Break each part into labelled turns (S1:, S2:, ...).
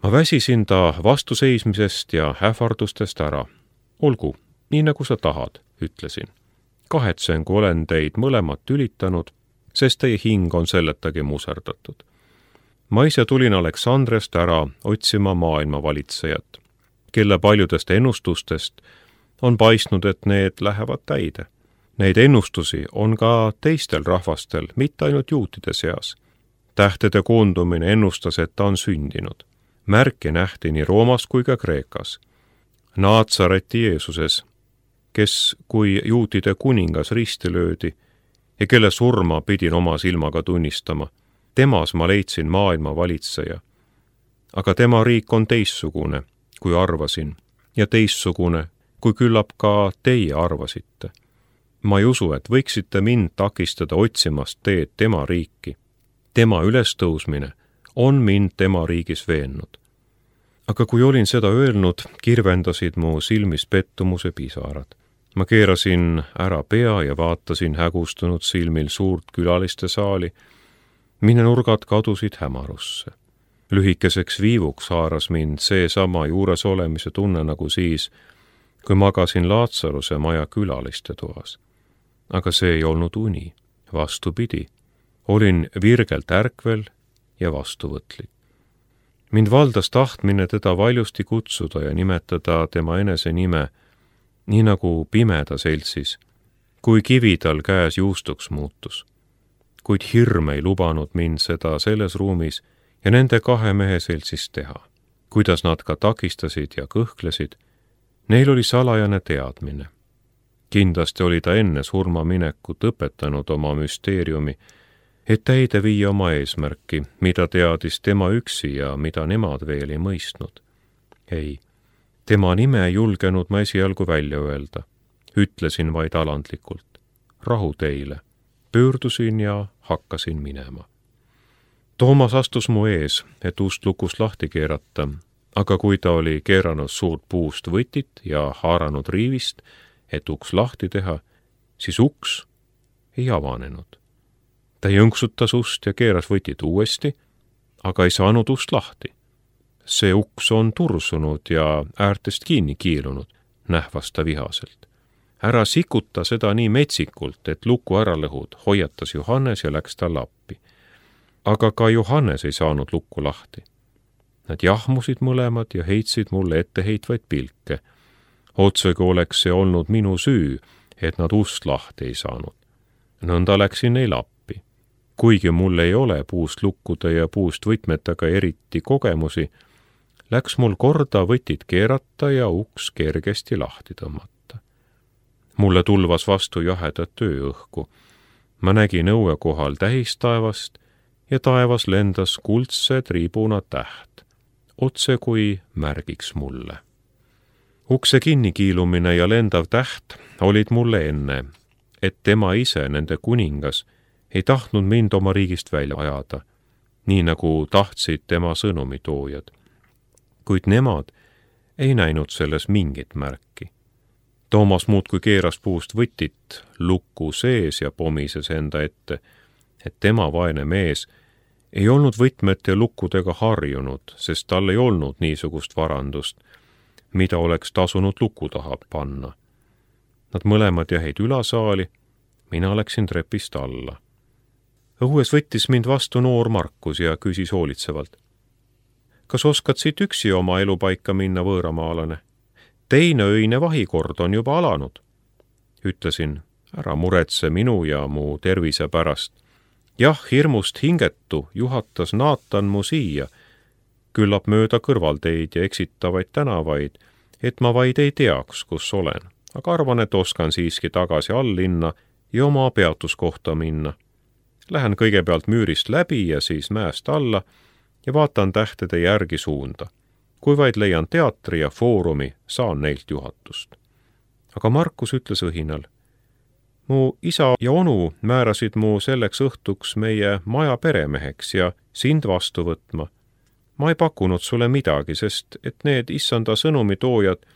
S1: Ma väsisin ta vastuseismisest ja ähvardustest ära. Olgu, nii nagu sa tahad, ütlesin. Kahetsen, kui olen teid mõlemat ülitanud, sest teie hing on selletagi muserdatud. Ma ise tulin Aleksandriast ära otsima maailma valitsejat, kelle paljudest ennustustest on paistnud, et need lähevad täide. Neid ennustusi on ka teistel rahvastel, mitte ainult juutide seas. Tähtede koondumine ennustas, et ta on sündinud. Märke nähti nii Roomas kui ka Kreekas. Naatsareti Jeesuses, kes kui juutide kuningas risti löödi ja kelle surma pidin oma silmaga tunnistama, temas ma leidsin maailma valitseja. Aga tema riik on teistsugune, kui arvasin, ja teistsugune, kui küllap ka teie arvasite. Ma ei usu, et võiksite mind takistada otsimast teed tema riiki. Tema ülestõusmine on mind tema riigis veennud. Aga kui olin seda öelnud, kirvendasid mu silmis pettumuse pisarad. Ma keerasin ära pea ja vaatasin hägustunud silmil suurt külaliste saali, mille nurgad kadusid hämarusse. Lühikeseks viivuks haaras mind seesama juures olemise tunne nagu siis, kui magasin Laatsaruse maja külaliste toas. Aga see ei olnud uni, vastupidi. Olin virgelt ärkvel ja vastuvõtlik. Mind valdas tahtmine teda valjusti kutsuda ja nimetada tema enese nime, nii nagu pimeda seltsis, kui kivi tal käes juustuks muutus. Kuid hirm ei lubanud mind seda selles ruumis ja nende kahe mehe seltsis teha. Kuidas nad ka takistasid ja kõhklesid, neil oli salajane teadmine. Kindlasti oli ta enne surmaminekut õpetanud oma müsteeriumi, et täide viia oma eesmärki, mida teadis tema üksi ja mida nemad veel ei mõistnud. Ei, tema nime ei julgenud ma esialgu välja öelda. Ütlesin vaid alandlikult. Rahu teile. Pöördusin ja hakkasin minema. Toomas astus mu ees, et ust lukust lahti keerata, aga kui ta oli keeranud suurt puust võtit ja haaranud riivist, et uks lahti teha, siis uks ei avanenud. Ta jõnksutas ust ja keeras võtit uuesti, aga ei saanud ust lahti. See uks on tursunud ja äärtest kinni kiilunud, nähvas ta vihaselt. Ära sikuta seda nii metsikult, et luku ära lõhud, hoiatas Johannes ja läks talle appi. Aga ka Johannes ei saanud lukku lahti. Nad jahmusid mõlemad ja heitsid mulle etteheitvaid pilke. Otsega oleks see olnud minu süü, et nad ust lahti ei saanud. Nõnda läksin neil appi. Kuigi mul ei ole puust lukkude ja puust võtmetega eriti kogemusi, läks mul korda võtit keerata ja uks kergesti lahti tõmmata. Mulle tulvas vastu jahedat ööõhku. Ma nägin õue kohal tähistaevast ja taevas lendas kuldse triibuna täht, otse kui märgiks mulle. Ukse kinnikiilumine ja lendav täht olid mulle enne, et tema ise, nende kuningas, ei tahtnud mind oma riigist välja ajada, nii nagu tahtsid tema sõnumitoojad. Kuid nemad ei näinud selles mingit märki. Toomas muudkui keeras puust võtit lukku sees ja pomises enda ette, et tema vaene mees ei olnud võtmete ja lukkudega harjunud, sest tal ei olnud niisugust varandust, mida oleks tasunud luku taha panna. Nad mõlemad jäid ülasaali, mina läksin trepist alla. Õues võttis mind vastu noor Markus ja küsis hoolitsevalt. Kas oskad siit üksi oma elupaika minna, võõramaalane? Teine öine vahikord on juba alanud. Ütlesin, ära muretse minu ja mu tervise pärast. Jah, hirmust hingetu juhatas Naatan mu siia, küllap mööda kõrvalteid ja eksitavaid tänavaid, et ma vaid ei teaks, kus olen. Aga arvan, et oskan siiski tagasi alllinna ja oma peatuskohta minna. Lähen kõigepealt müürist läbi ja siis mäest alla ja vaatan tähtede järgi suunda. Kui vaid leian teatri ja foorumi, saan neilt juhatust. Aga Markus ütles õhinal. Mu isa ja onu määrasid mu selleks õhtuks meie maja peremeheks ja sind vastu võtma. Ma ei pakkunud sulle midagi, sest et need issanda sõnumitoojad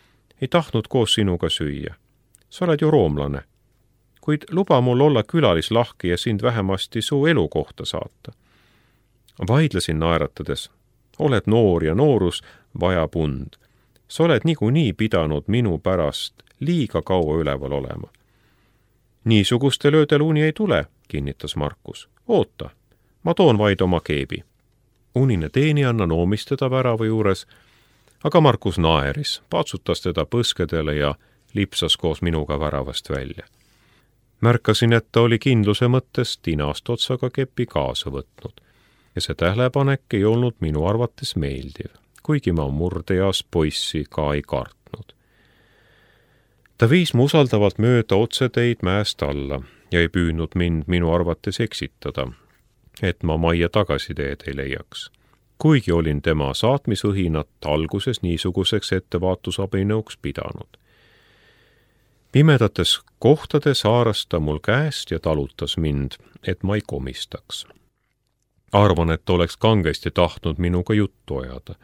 S1: ei tahtnud koos sinuga süüa. Sa oled ju roomlane. Kuid luba mul olla külalislahki ja sind vähemasti su elukohta saata. Vaidlesin naeratades. oled noor ja noorus vajab und. Sa oled niikuinii pidanud minu pärast liiga kaua üleval olema. Niisugustel öödel uni ei tule, kinnitas Markus. Oota, ma toon vaid oma keebi. Unine teenijanna noomis teda värava juures, aga Markus naeris, patsutas teda põskedele ja lipsas koos minuga väravast välja. Märkasin, et ta oli kindluse mõttes tinast otsaga kepi kaasa võtnud ja see tähelepanek ei olnud minu arvates meeldiv, kuigi ma murdeeas poissi ka ei kartnud. Ta viis mu usaldavalt mööda otseteid mäest alla ja ei püüdnud mind minu arvates eksitada, et ma majja tagasiteed ei leiaks. Kuigi olin tema saatmisõhinat alguses niisuguseks ettevaatusabinõuks pidanud. Pimedates kohtades haaras ta mul käest ja talutas mind, et ma ei komistaks. Arvan, et oleks kangesti tahtnud minuga juttu ajada.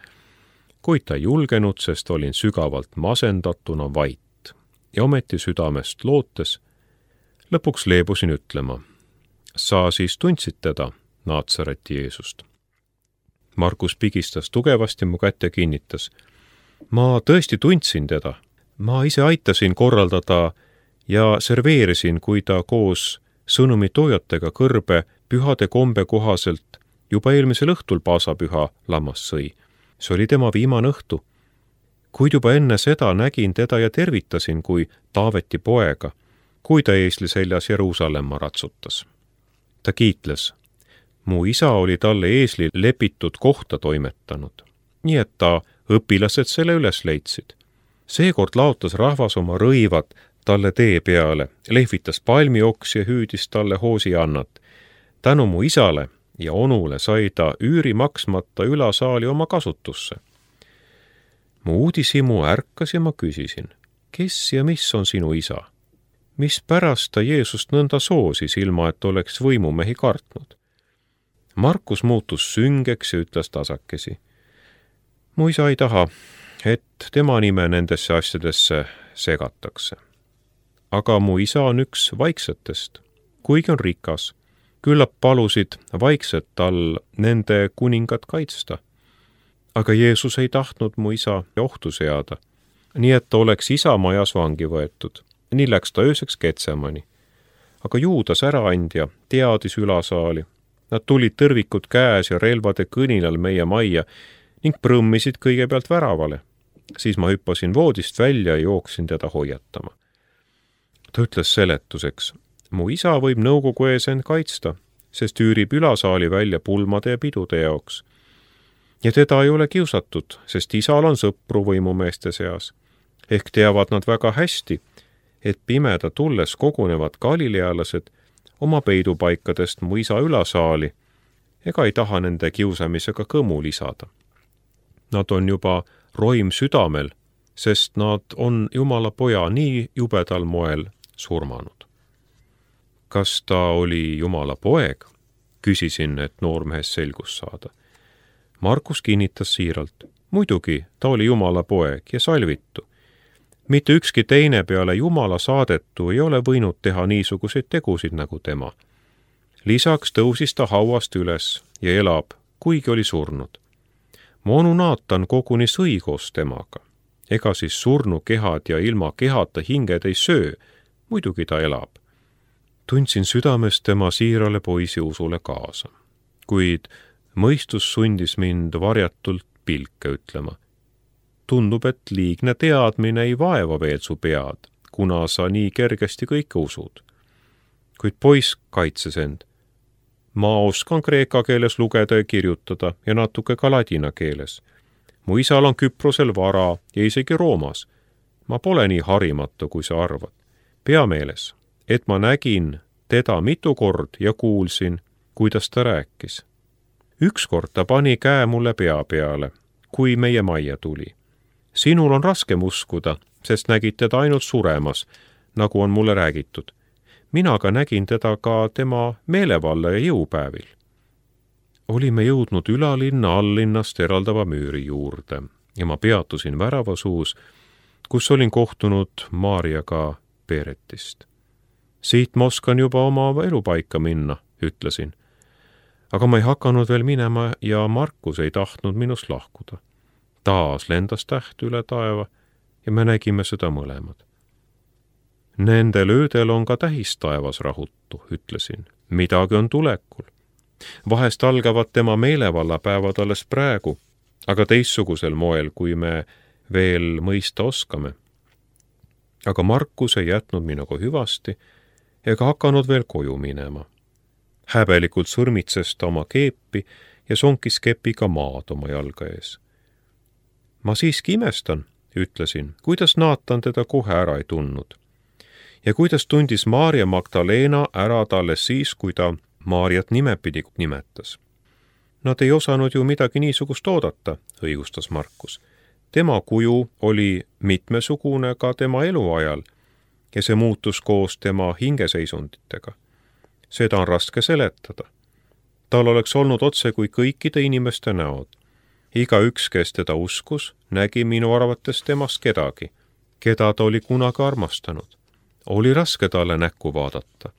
S1: Kuid ta ei julgenud, sest olin sügavalt masendatuna vait ja ometi südamest lootes. Lõpuks leebusin ütlema, sa siis tundsid teda, Naatsareti Jeesust. Markus pigistas tugevasti mu kätte ja kinnitas. Ma tõesti tundsin teda. Ma ise aitasin korraldada ja serveerisin, kui ta koos sõnumitoojatega kõrbe pühade kombe kohaselt juba eelmisel õhtul paasapüha lammas sõi. See oli tema viimane õhtu. Kuid juba enne seda nägin teda ja tervitasin kui Taaveti poega, kui ta eesli seljas Jeruusalemma ratsutas. Ta kiitles. Mu isa oli talle eesli lepitud kohta toimetanud, nii et ta õpilased selle üles leidsid. Seekord laotas rahvas oma rõivad talle tee peale, lehvitas palmioksi ja hüüdis talle hoosiannat. Tänu mu isale ja onule sai ta üüri maksmata ülasaali oma kasutusse. Mu uudishimu ärkas ja ma küsisin, kes ja mis on sinu isa? Mis pärast ta Jeesust nõnda soosis, ilma et oleks võimumehi kartnud? Markus muutus süngeks ja ütles tasakesi. Mu isa ei taha, et tema nime nendesse asjadesse segatakse. Aga mu isa on üks vaiksetest, kuigi on rikas. Küllap palusid vaikset tal nende kuningat kaitsta. Aga Jeesus ei tahtnud mu isa ohtu seada, nii et ta oleks isa majas vangi võetud. Nii läks ta ööseks Getsemani. Aga Juudas äraandja teadis ülasaali. Nad tulid tõrvikud käes ja relvade kõninal meie majja ning prõmmisid kõigepealt väravale. Siis ma hüppasin voodist välja ja jooksin teda hoiatama. Ta ütles seletuseks, mu isa võib nõukogu ees end kaitsta, sest üürib ülasaali välja pulmade ja pidude jaoks. Ja teda ei ole kiusatud, sest isal on sõpru võimumeeste seas. Ehk teavad nad väga hästi, et pimeda tulles kogunevad galilealased oma peidupaikadest mu isa ülasaali ega ei taha nende kiusamisega kõmu lisada. Nad on juba roim südamel, sest nad on Jumala poja nii jubedal moel surmanud. Kas ta oli Jumala poeg? Küsisin, et noormehest selgus saada. Markus kinnitas siiralt. Muidugi, ta oli Jumala poeg ja salvitu. Mitte ükski teine peale Jumala saadetu ei ole võinud teha niisuguseid tegusid nagu tema. Lisaks tõusis ta hauast üles ja elab, kuigi oli surnud. Mu onu Naatan koguni sõi koos temaga. Ega siis surnu kehad ja ilma kehata hinged ei söö, muidugi ta elab. Tundsin südames tema siirale poisi usule kaasa, kuid mõistus sundis mind varjatult pilke ütlema. Tundub, et liigne teadmine ei vaeva veel su pead, kuna sa nii kergesti kõike usud. Kuid poiss kaitses end. Ma oskan kreeka keeles lugeda ja kirjutada ja natuke ka ladina keeles. Mu isal on Küprosel vara ja isegi Roomas. Ma pole nii harimatu, kui sa arvad. Pea meeles, et ma nägin teda mitu kord ja kuulsin, kuidas ta rääkis. Ükskord ta pani käe mulle pea peale, kui meie majja tuli. Sinul on raskem uskuda, sest nägid teda ainult suremas, nagu on mulle räägitud. Mina ka nägin teda ka tema meelevalla ja jõupäevil. Olime jõudnud ülalinna allinnast eraldava müüri juurde ja ma peatusin väravasuus, kus olin kohtunud Maarjaga Peeretist. Siit ma oskan juba oma elupaika minna, ütlesin. Aga ma ei hakanud veel minema ja Markus ei tahtnud minust lahkuda. Taas lendas täht üle taeva ja me nägime seda mõlemad. Nendel öödel on ka tähis taevas rahutu, ütlesin. Midagi on tulekul. Vahest algavad tema meelevallapäevad alles praegu, aga teistsugusel moel, kui me veel mõista oskame. Aga Markus ei jätnud minuga hüvasti ega hakanud veel koju minema. Häbelikult sõrmitses ta oma keepi ja sonkis kepiga maad oma jalga ees. Ma siiski imestan, ütlesin, kuidas Naatan teda kohe ära ei tundnud. Ja kuidas tundis Maarja Magdalena ära ta alles siis, kui ta Maarjat nimepidi nimetas. Nad ei osanud ju midagi niisugust oodata, õigustas Markus. Tema kuju oli mitmesugune ka tema eluajal ja see muutus koos tema hingeseisunditega. Seda on raske seletada. Tal oleks olnud otse kui kõikide inimeste näod. Igaüks, kes teda uskus, nägi minu arvates temast kedagi, keda ta oli kunagi armastanud. Oli raske talle näkku vaadata.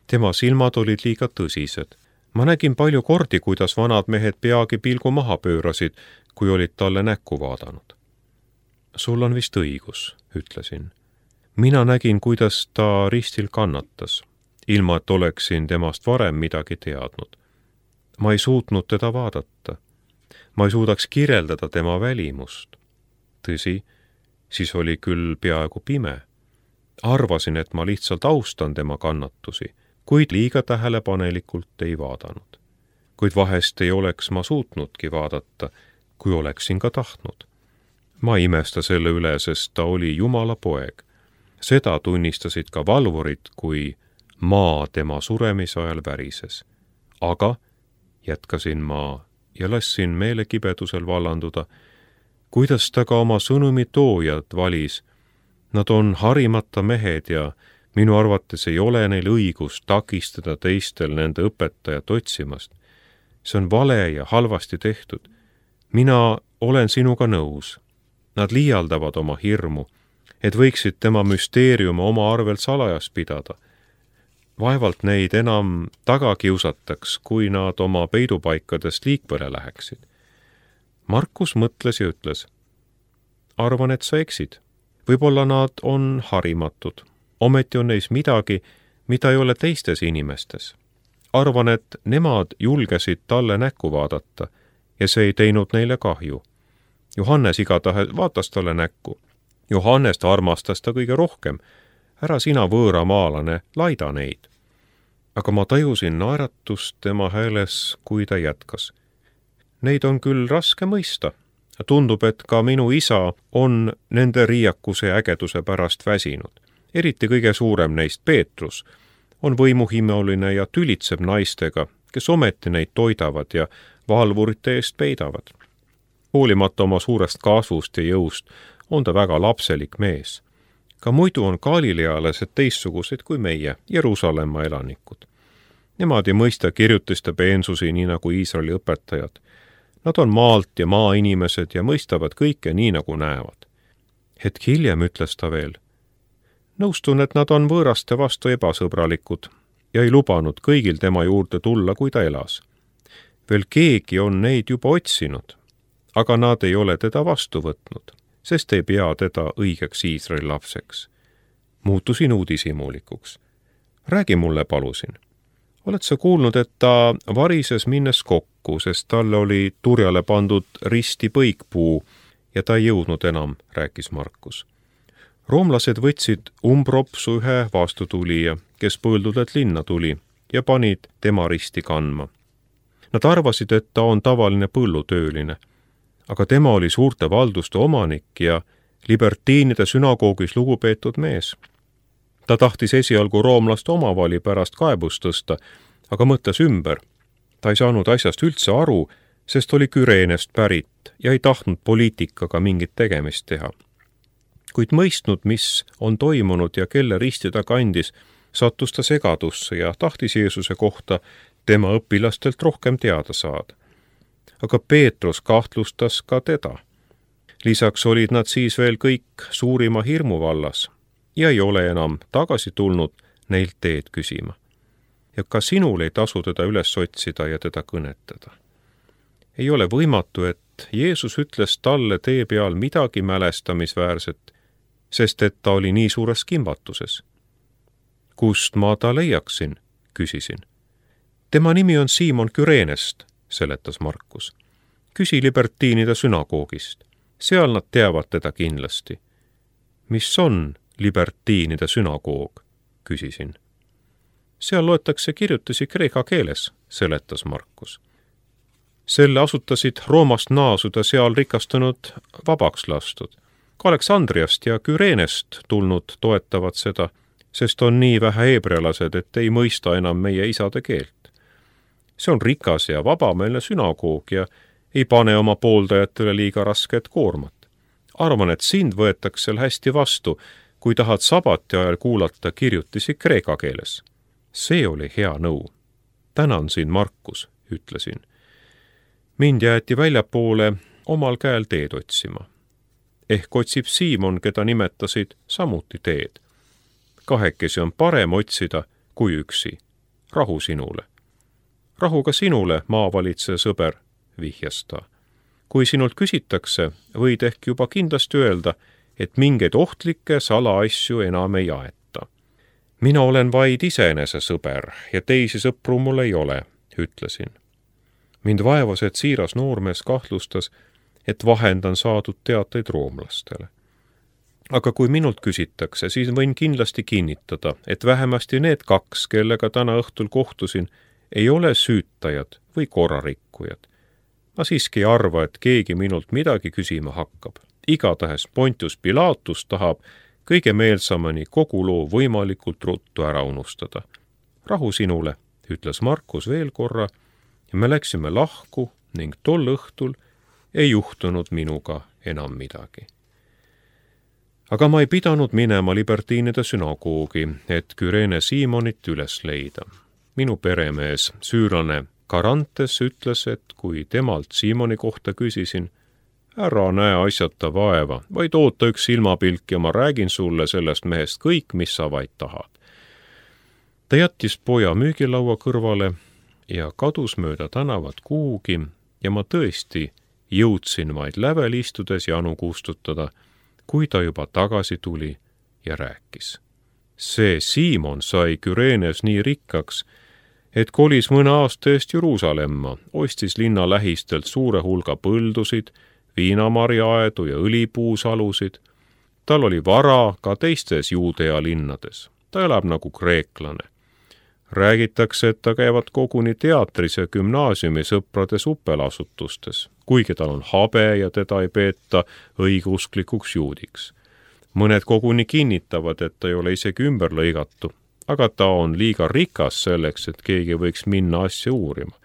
S1: Tema silmad olid liiga tõsised. Ma nägin palju kordi, kuidas vanad mehed peagi pilgu maha pöörasid, kui olid talle näkku vaadanud. Sul on vist õigus, ütlesin. Mina nägin, kuidas ta ristil kannatas, ilma et oleksin temast varem midagi teadnud. Ma ei suutnud teda vaadata. Ma ei suudaks kirjeldada tema välimust. Tõsi, siis oli küll peaaegu pime. Arvasin, et ma lihtsalt austan tema kannatusi, kuid liiga tähelepanelikult ei vaadanud. Kuid vahest ei oleks ma suutnudki vaadata, kui oleksin ka tahtnud. Ma ei imesta selle üle, sest ta oli Jumala poeg. Seda tunnistasid ka valvurid, kui maa tema suremise ajal värises. Aga, jätkasin ma ja lassin meelekibedusel vallanduda, kuidas ta ka oma sõnumi toojad valis. Nad on harimata mehed ja minu arvates ei ole neil õigust takistada teistel nende õpetajat otsimast. See on vale ja halvasti tehtud. Mina olen sinuga nõus. Nad liialdavad oma hirmu, et võiksid tema müsteeriumi oma arvelt salajas pidada. Vaevalt neid enam taga kiusataks, kui nad oma peidupaikadest liikvele läheksid. Markus mõtles ja ütles, arvan, et sa eksid. Võib-olla nad on harimatud. Ometi on neis midagi, mida ei ole teistes inimestes. Arvan, et nemad julgesid talle näkku vaadata ja see ei teinud neile kahju. Johannes igatahes vaatas talle näkku. Johannest armastas ta kõige rohkem. Ära sina võõramaalane, laida neid. Aga ma tajusin naeratust tema hääles, kui ta jätkas. Neid on küll raske mõista. Tundub, et ka minu isa on nende riiakuse ja ägeduse pärast väsinud. Eriti kõige suurem neist, Peetrus, on võimuhimeoline ja tülitseb naistega, kes ometi neid toidavad ja valvurite eest peidavad. Hoolimata oma suurest kasvust ja jõust on ta väga lapselik mees. Ka muidu on galilealased teistsugused kui meie, Jeruusalemma elanikud. Nemad ei mõista kirjutiste peensusi nii nagu Iisraeli õpetajad. Nad on maalt ja maainimesed ja mõistavad kõike nii nagu näevad. Hetk hiljem ütles ta veel, nõustun, et nad on võõraste vastu ebasõbralikud ja ei lubanud kõigil tema juurde tulla, kui ta elas. Veel keegi on neid juba otsinud, aga nad ei ole teda vastu võtnud, sest ei pea teda õigeks Iisraeli lapseks. Muutusin uudishimulikuks. Räägi mulle, palusin. Oled sa kuulnud, et ta varises minnes kokku, sest talle oli turjale pandud risti põikpuu ja ta ei jõudnud enam, rääkis Markus. Roomlased võtsid umbropsu ühe vastutulija, kes põõldudelt linna tuli ja panid tema risti kandma. Nad arvasid, et ta on tavaline põllutööline, aga tema oli suurte valduste omanik ja libertiinide sünagoogis lugupeetud mees. Ta tahtis esialgu roomlaste omavali pärast kaebust tõsta, aga mõtles ümber. Ta ei saanud asjast üldse aru, sest oli Küreenest pärit ja ei tahtnud poliitikaga mingit tegemist teha. Kuid mõistnud, mis on toimunud ja kelle risti ta kandis, sattus ta segadusse ja tahtis Jeesuse kohta tema õpilastelt rohkem teada saada. Aga Peetrus kahtlustas ka teda. Lisaks olid nad siis veel kõik suurima hirmu vallas ja ei ole enam tagasi tulnud neilt teed küsima. ja ka sinul ei tasu teda üles otsida ja teda kõnetada. Ei ole võimatu, et Jeesus ütles talle tee peal midagi mälestamisväärset, sest et ta oli nii suures kimbatuses. Kust ma ta leiaksin, küsisin. Tema nimi on Siimon Küreenest, seletas Markus. Küsi libertiinide sünagoogist. Seal nad teavad teda kindlasti. Mis on libertiinide sünagoog, küsisin. Seal loetakse kirjutusi kreeka keeles, seletas Markus. Selle asutasid Roomast naasuda seal rikastunud vabaks lastud. Ka Aleksandriast ja Küreenest tulnud toetavad seda, sest on nii vähe heebrealased, et ei mõista enam meie isade keelt. See on rikas ja vabameelne sünagoog ja ei pane oma pooldajatele liiga rasket koormat. Arvan, et sind võetakse seal hästi vastu, kui tahad sabati ajal kuulata kirjutisi kreeka keeles. See oli hea nõu. Tänan sind, Markus, ütlesin. Mind jäeti väljapoole omal käel teed otsima. Ehk otsib Siimon, keda nimetasid samuti teed. Kahekesi on parem otsida kui üksi. Rahu sinule. Rahu ka sinule, maavalitseja sõber, vihjas ta. Kui sinult küsitakse, võid ehk juba kindlasti öelda, et mingeid ohtlikke salaasju enam ei aeta. Mina olen vaid iseenese sõber ja teisi sõpru mul ei ole, ütlesin. Mind vaevas, et siiras noormees kahtlustas, et vahendan saadud teateid roomlastele. Aga kui minult küsitakse, siis võin kindlasti kinnitada, et vähemasti need 2, kellega täna õhtul kohtusin, ei ole süütajad või korrarikkujad. Ma siiski ei arva, et keegi minult midagi küsima hakkab. Igatahes Pontius Pilatus tahab kõige meelsamani kogu loo võimalikult ruttu ära unustada. Rahu sinule, ütles Markus veel korra, ja me läksime lahku ning tol õhtul ei juhtunud minuga enam midagi. Aga ma ei pidanud minema libertiinide sünagoogi, et Küreene Siimonit üles leida. Minu peremees, süürlane Karantes ütles, et kui temalt Siimoni kohta küsisin, ära näe asjata vaeva, vaid oota üks silmapilk ja ma räägin sulle sellest mehest kõik, mis sa vaid tahad. Ta jättis poja müügilaua kõrvale ja kadus mööda tänavat kuhugi ja ma tõesti jõudsin vaid lävel istudes janu kustutada, kui ta juba tagasi tuli ja rääkis. See Siimon sai Küreenes nii rikkaks, et kolis mõne aasta eest Jeruusalemma, ostis linna lähistelt suure hulga põldusid, viinamarjaaedu ja õlipuusalusid. Tal oli vara ka teistes Juudea linnades. Ta elab nagu kreeklane. Räägitakse, et ta käivad koguni teatris ja gümnaasiumi sõprade supelasutustes, kuigi tal on habe ja teda ei peeta õigeusklikuks juudiks. Mõned koguni kinnitavad, et ta ei ole isegi ümber lõigatu, aga ta on liiga rikas selleks, et keegi võiks minna asja uurima.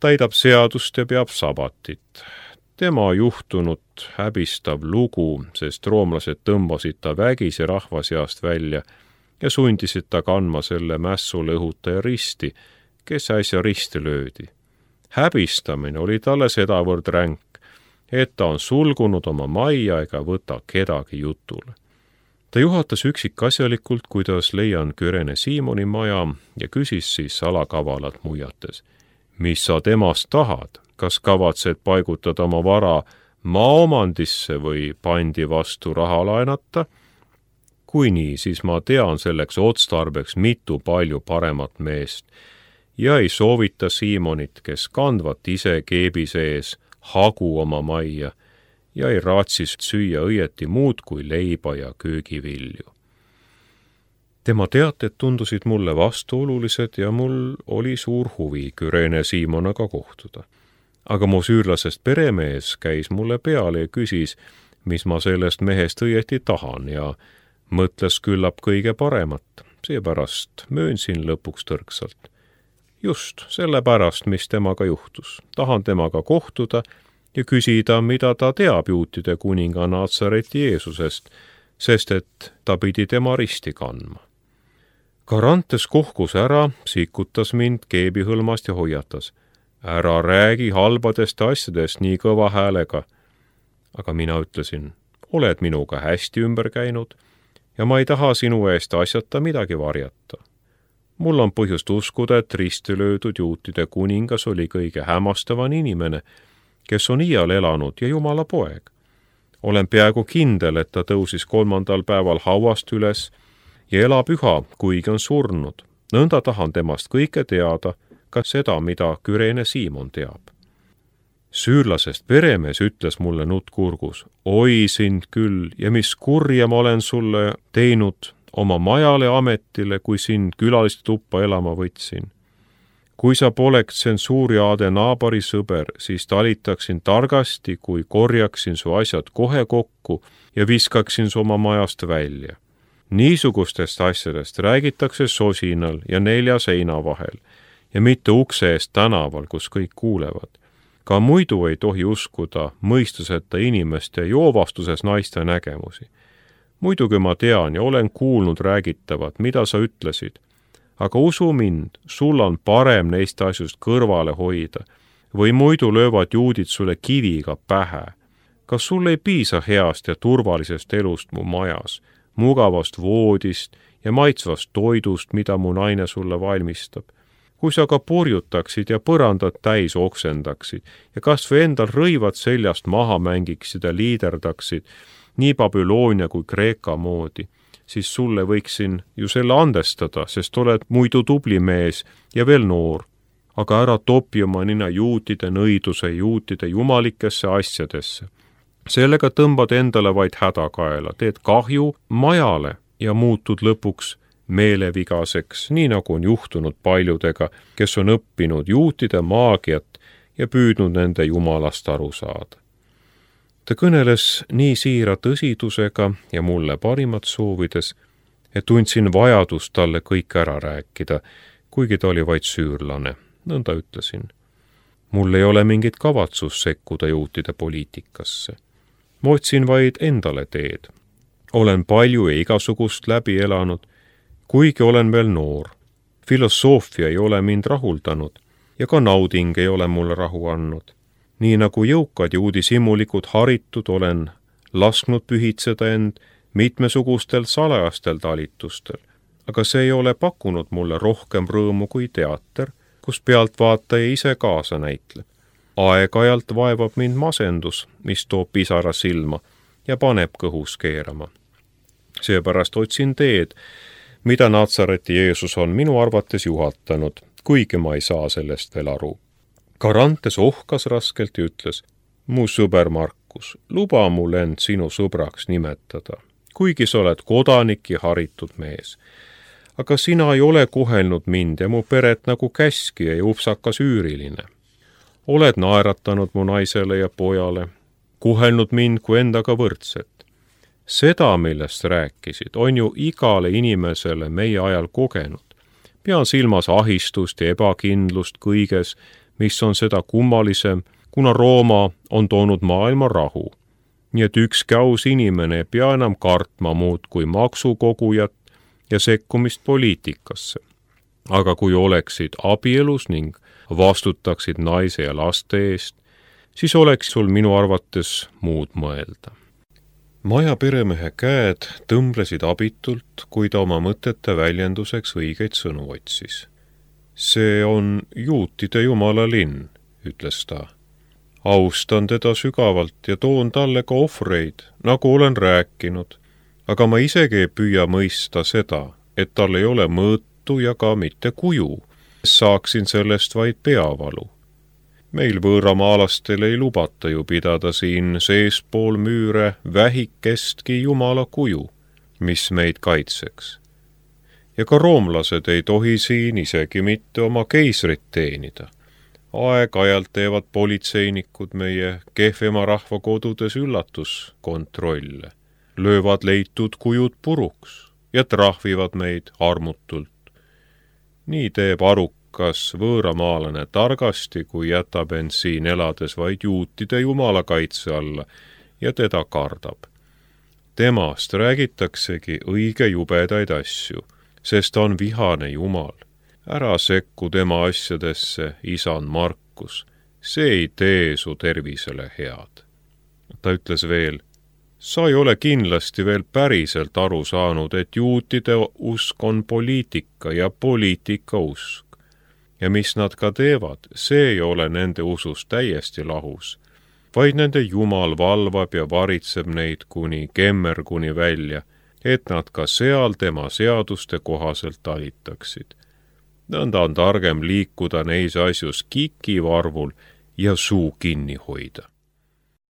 S1: Täidab seadust ja peab sabatit. Tema juhtunud häbistav lugu, sest roomlased tõmbasid ta vägisi rahva seast välja ja sundisid ta kandma selle mässule õhutaja risti, kes äsja risti löödi. Häbistamine oli talle sedavõrd ränk, et ta on sulgunud oma majja ega võta kedagi jutule. Ta juhatas üksikasjalikult, kuidas leian Küreene Siimoni maja ja küsis siis salakavalalt muiates. Mis sa temast tahad? Kas kavatsed paigutada oma vara maaomandisse või pandi vastu raha laenata? Kui nii, siis ma tean selleks otstarbeks mitu palju paremat meest ja ei soovita Siimonit, kes kandvat ise keebi sees hagu oma majja ja ei raatsis süüa õieti muud kui leiba ja köögivilju. Tema teated tundusid mulle vastuolulised ja mul oli suur huvi Küreene Siimonaga kohtuda. Aga mu süürlasest peremees käis mulle peale ja küsis, mis ma sellest mehest õieti tahan ja mõtles küllap kõige paremat, seepärast möönsin lõpuks tõrksalt. Just sellepärast, mis temaga juhtus. Tahan temaga kohtuda ja küsida, mida ta teab juutide kuninga Natsareti Jeesusest, sest et ta pidi tema risti kandma. Karantes kohkus ära, sikutas mind keebihõlmast ja hoiatas. Ära räägi halbadest asjadest nii kõva häälega. Aga mina ütlesin, oled minuga hästi ümber käinud ja ma ei taha sinu eest asjata midagi varjata. Mul on põhjust uskuda, et risti löödud juutide kuningas oli kõige hämmastavam inimene, kes on iial elanud ja Jumala poeg. Olen peaaegu kindel, et ta tõusis 3. päeval hauast üles ja elab üha, kuigi on surnud. Nõnda tahan temast kõike teada, ka seda, mida Kürene Siimon teab. Süürlasest peremees ütles mulle nutt kurgus, oi sind küll ja mis kurja ma olen sulle teinud oma majale ametile, kui sind külaliste tuppa elama võtsin. Kui sa poleks tsensuuriaade naabari sõber, siis talitaksin targasti, kui korjaksin su asjad kohe kokku ja viskaksin su oma majast välja. Niisugustest asjadest räägitakse sosinal ja 4 seina vahel ja mitte ukse eest tänaval, kus kõik kuulevad. Ka muidu ei tohi uskuda mõistuseta inimeste joovastuses naiste nägemusi. Muidugi ma tean ja olen kuulnud räägitavat, mida sa ütlesid, aga usu mind, sul on parem neist asjust kõrvale hoida või muidu löövad juudid sulle kiviga pähe. Kas sul ei piisa heast ja turvalisest elust mu majas, mugavast voodist ja maitsvast toidust, mida mu naine sulle valmistab? Kui sa ka purjutaksid ja põrandad täis oksendaksid ja kas või endal rõivad seljast maha mängiksid ja liiderdaksid nii Babyloonia kui Kreeka moodi, siis sulle võiksin ju selle andestada, sest oled muidu tubli mees ja veel noor. Aga ära topi oma nina juutide nõiduse juutide jumalikesse asjadesse. Sellega tõmbad endale vaid hädakaela, teed kahju majale ja muutud lõpuks meelevigaseks, nii nagu on juhtunud paljudega, kes on õppinud juutide maagiat ja püüdnud nende jumalast aru saada. Ta kõneles nii siira tõsidusega ja mulle parimat soovides, et tundsin vajadust talle kõik ära rääkida, kuigi ta oli vaid süürlane, nõnda ütlesin. Mul ei ole mingit kavatsus sekkuda juutide poliitikasse. Ma otsin vaid endale teed. Olen palju ja igasugust läbi elanud, kuigi olen veel noor. Filosoofia ei ole mind rahuldanud ja ka nauding ei ole mulle rahu andnud. Nii nagu jõukad ja uudishimulikud haritud olen lasknud pühitseda end mitmesugustel salajastel talitustel, aga see ei ole pakkunud mulle rohkem rõõmu kui teater, kus pealtvaataja ise kaasa näitleb. Aeg-ajalt vaevab mind masendus, mis toob pisara silma ja paneb kõhus keerama. Seepärast otsin teed, mida Natsareti Jeesus on minu arvates juhatanud, kuigi ma ei saa sellest veel aru. Karantes ohkas raskelt ja ütles, mu sõber Markus, luba mul end sinu sõbraks nimetada, kuigi sa oled kodanik ja haritud mees. Aga sina ei ole kohelnud mind ja mu peret nagu käskija ja upsakas üüriline. Oled naeratanud mu naisele ja pojale, kohelnud mind kui endaga võrdset. Seda, millest rääkisid, on ju igale inimesele meie ajal kogenud. Pean silmas ahistust ja ebakindlust kõiges, mis on seda kummalisem, kuna Rooma on toonud maailma rahu. Nii et ükski aus inimene ei pea enam kartma muud kui maksukogujat ja sekkumist poliitikasse. Aga kui oleksid abielus ning vastutaksid naise ja laste eest, siis oleks sul minu arvates muud mõelda. Maja peremehe käed tõmblesid abitult, kui ta oma mõtete väljenduseks õigeid sõnu otsis. See on juutide jumala linn, ütles ta. Austan teda sügavalt ja toon talle ka ohvreid, nagu olen rääkinud, aga ma isegi ei püüa mõista seda, et tal ei ole mõõtu ja ka mitte kuju. Saaksin sellest vaid peavalu. Meil võõramaalastel ei lubata ju pidada siin seespool müüre vähikestki jumala kuju, mis meid kaitseks. Ja ka roomlased ei tohi siin isegi mitte oma keisrit teenida. Aeg-ajalt teevad politseinikud meie kehvema rahvakodudes üllatuskontrolle, löövad leitud kujud puruks ja trahvivad meid armutult. Nii teeb arukas võõramaalane targasti, kui jätab end siin elades vaid juutide jumala kaitse alla ja teda kardab. Temast räägitaksegi õige jubedaid asju, sest on vihane jumal. Ära sekku tema asjadesse, isan Markus, see ei tee su tervisele head. Ta ütles veel, Sa ei ole kindlasti veel päriselt aru saanud, et juutide usk on poliitika ja poliitika usk. Ja mis nad ka teevad, see ei ole nende usust täiesti lahus, vaid nende Jumal valvab ja varitseb neid kuni kemmerguni välja, et nad ka seal tema seaduste kohaselt talitaksid. Nõnda on targem liikuda neis asjus kikivarvul ja suu kinni hoida.